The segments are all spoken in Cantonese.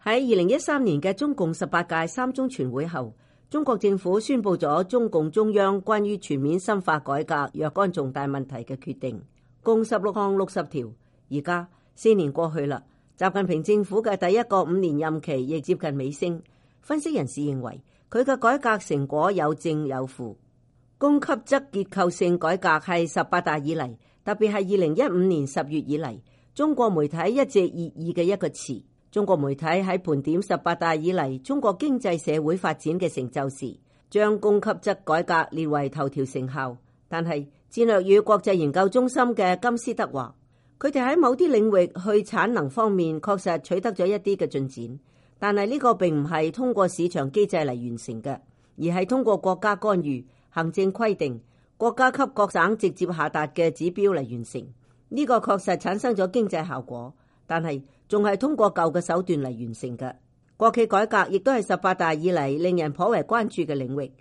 喺2013年嘅中共18屆三中全會後，中國政府宣布咗中共中央關於全面深化改革若干重大問題嘅決定，共16項60條。而家4年過去啦，習近平政府嘅第一個5年任期亦接近尾聲。分析人士認為，佢嘅改革成果有正有負。供給側結構性改革係18大以嚟，特別係2015年10月以嚟，中國媒體一直熱議嘅一個詞。中國媒體喺盤點18大以嚟中國經濟社會發展嘅成就時，將供給側改革列為頭條成效。但係戰略與國際研究中心嘅金斯德話，佢哋喺某啲領域去產能方面確實取得咗一啲嘅進展，但係呢個並唔係通過市場機制嚟完成嘅，而係通過國家干預、行政規定、國家級各省直接下達嘅指標嚟完成。呢個確實產生咗經濟效果，但係仲係通過舊嘅手段嚟完成嘅。國企改革亦都係18大以嚟令人頗為關注嘅領域。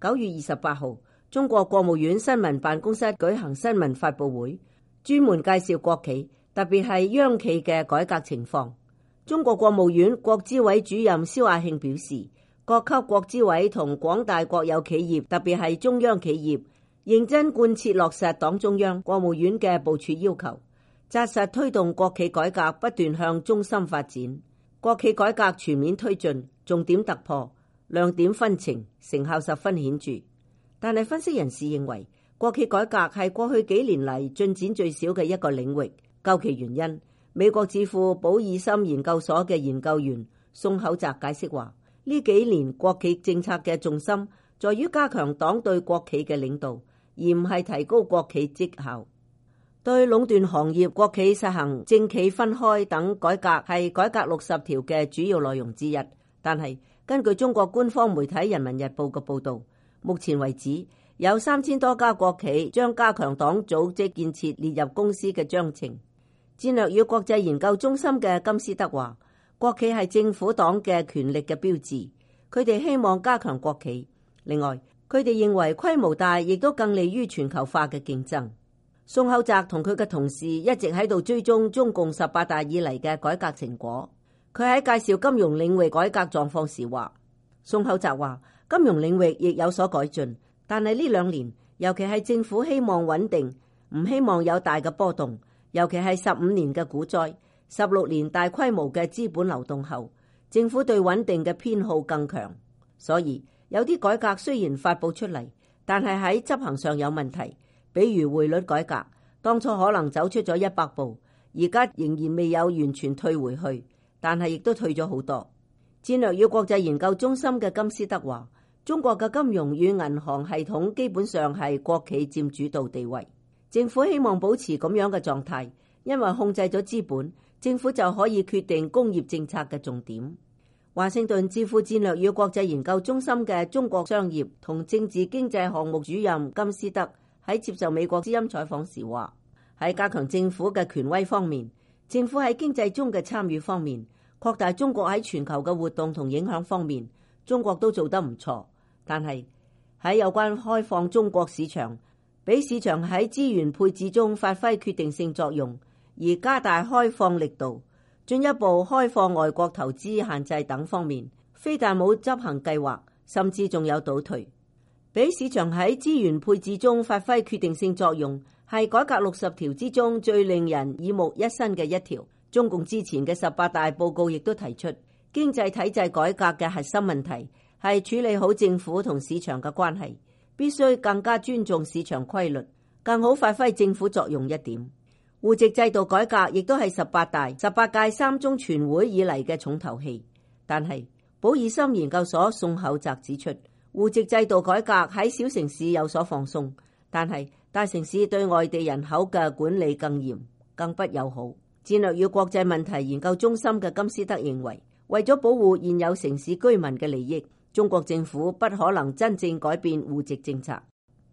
9月28號，中國國務院新聞辦公室舉行新聞發佈會，專門介紹國企，特別係央企嘅改革情況。中國國務院國資委主任肖亞慶表示，各級國資委同廣大國有企業，特別係中央企業，認真貫徹落實黨中央、國務院嘅部署要求，紮實推動國企改革不斷向中心發展，國企改革全面推進，重點突破，亮點紛呈，成效十分顯著。但係分析人士認為，國企改革係過去幾年嚟進展最少嘅一個領域。究其原因，美國智庫保爾森研究所嘅研究員宋厚澤解釋話，呢幾年國企政策嘅重心在於加強黨對國企嘅領導，而唔係提高國企績效。對壟斷行業，國企實行政企分開等改革係改革60條嘅主要內容之一。但係根據中國官方媒體《人民日報》嘅報導，目前為止有3000多家國企將加強黨組織建設列入公司嘅章程。戰略與國際研究中心嘅金斯德話，國企係政府黨嘅權力嘅標誌，佢哋希望加強國企。另外，佢哋認為規模大亦都更利於全球化嘅競爭。宋厚澤同佢嘅同事一直喺度追蹤中共18大以嚟嘅改革成果。佢喺介紹金融領域改革狀況時話，宋厚澤話，金融領域亦有所改進，但係呢2年，尤其係政府希望穩定，唔希望有大嘅波動，尤其係15年嘅股災、16年大規模嘅資本流動後，政府對穩定嘅偏好更強。所以有啲改革雖然發佈出嚟，但係喺執行上有問題。比如匯率改革，當初可能走出咗100步，而家仍然未有完全退回去，但係亦都退咗好多。戰略與國際研究中心嘅金斯德話，中國嘅金融與銀行系統基本上係國企佔主導地位，政府希望保持咁樣嘅狀態，因為控制咗資本，政府就可以決定工業政策嘅重點。華盛頓智庫戰略與國際研究中心嘅中國商業同政治經濟項目主任金斯德喺接受美國之音採訪時話，喺加強政府嘅權威方面，政府喺經濟中嘅參與方面，擴大中國喺全球嘅活動同影響方面，中國都做得唔錯。但係喺有關開放中國市場，俾市場喺資源配置中發揮決定性作用，而加大開放力度，進一步開放外國投資限制等方面，非但冇執行計劃，甚至仲有倒退。俾市場喺資源配置中發揮決定性作用，係改革60條之中最令人耳目一新嘅一條。中共之前嘅18大報告亦都提出，經濟體制改革嘅核心問題係處理好政府同市場嘅關係，必須更加尊重市場規律，更好發揮政府作用一點。戶籍制度改革亦都係18屆三中全會以嚟嘅重頭戲。但係保爾森研究所宋厚澤指出，戶籍制度改革喺小城市有所放鬆，但係大城市對外地人口嘅管理更嚴、更不友好。戰略與國際問題研究中心嘅金斯德認為，為咗保護現有城市居民嘅利益，中國政府不可能真正改變戶籍政策。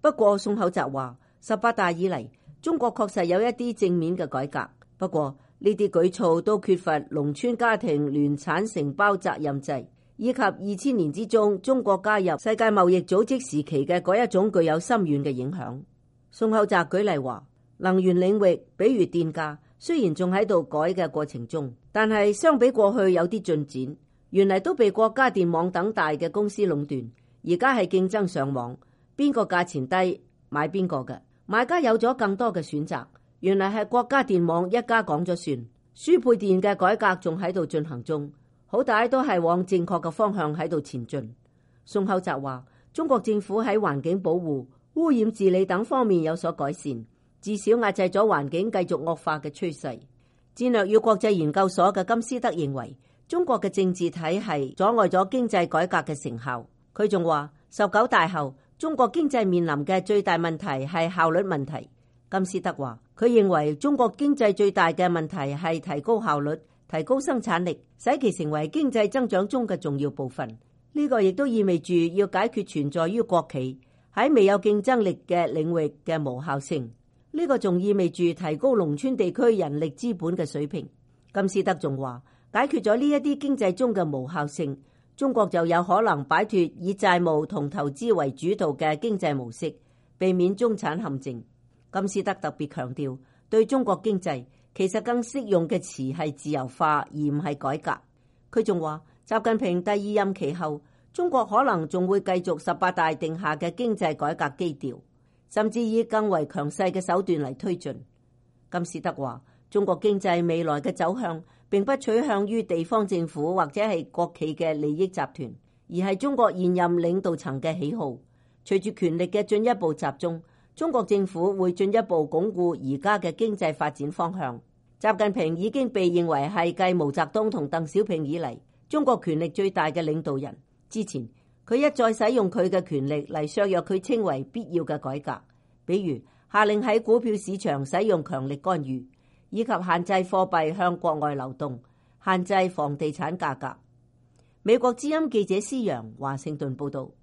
不過宋厚澤話，18大以嚟，中國確實有一啲正面嘅改革，不過呢啲舉措都缺乏農村家庭聯產承包責任制，以及2000年之中中國加入世界貿易組織時期嘅嗰一種具有深遠嘅影響。宋厚澤舉例話，能源領域，比如電價，雖然仲喺度改嘅過程中，但係相比過去有啲進展，原嚟都被國家電網等大嘅公司壟斷，而家係競爭上網，邊個價錢低買邊個嘅，買家有咗更多嘅選擇。原嚟係國家電網一家講咗算，輸配電嘅改革仲喺度進行中，好大都係往正確嘅方向喺度前進。宋厚澤話，中國政府喺環境保護、污染治理等方面有所改善，至少壓制咗環境繼續惡化嘅趨勢。戰略與國際研究所嘅金斯德認為，中國嘅政治體系阻礙咗經濟改革嘅成效。佢仲話，19大後，中國經濟面臨嘅最大問題係效率問題。金斯德話，佢認為中國經濟最大嘅問題係提高效率、提高生產力，使其成為經濟增長中嘅重要部分。呢個亦都意味住要解決存在於國企喺未有競爭力嘅領域嘅無效性。呢個仲意味住提高農村地區人力資本嘅水平。金斯德仲話，解決咗呢一啲經濟中嘅無效性，中國就有可能擺脫以債務同投資為主導嘅經濟模式，避免中產陷阱。金斯德特別強調，對中國經濟其實更適用嘅詞係自由化，而唔係改革。佢仲話，習近平第二任期後，中國可能仲會繼續18大定下嘅經濟改革基調，甚至以更為強勢嘅手段嚟推進。金斯德話，中國經濟未來嘅走向並不取向於地方政府或者係國企嘅利益集團，而係中國現任領導層嘅喜好。隨住權力嘅進一步集中，中國政府會進一步鞏固而家嘅經濟發展方向。習近平已經被認為係繼毛澤東同鄧小平以嚟中國權力最大嘅領導人。之前佢一再使用佢嘅權力嚟削弱佢稱為必要嘅改革，比如下令喺股票市場使用強力干預，以及限制貨幣向國外流動，限制房地產價格。美國之音記者施洋華盛頓報道。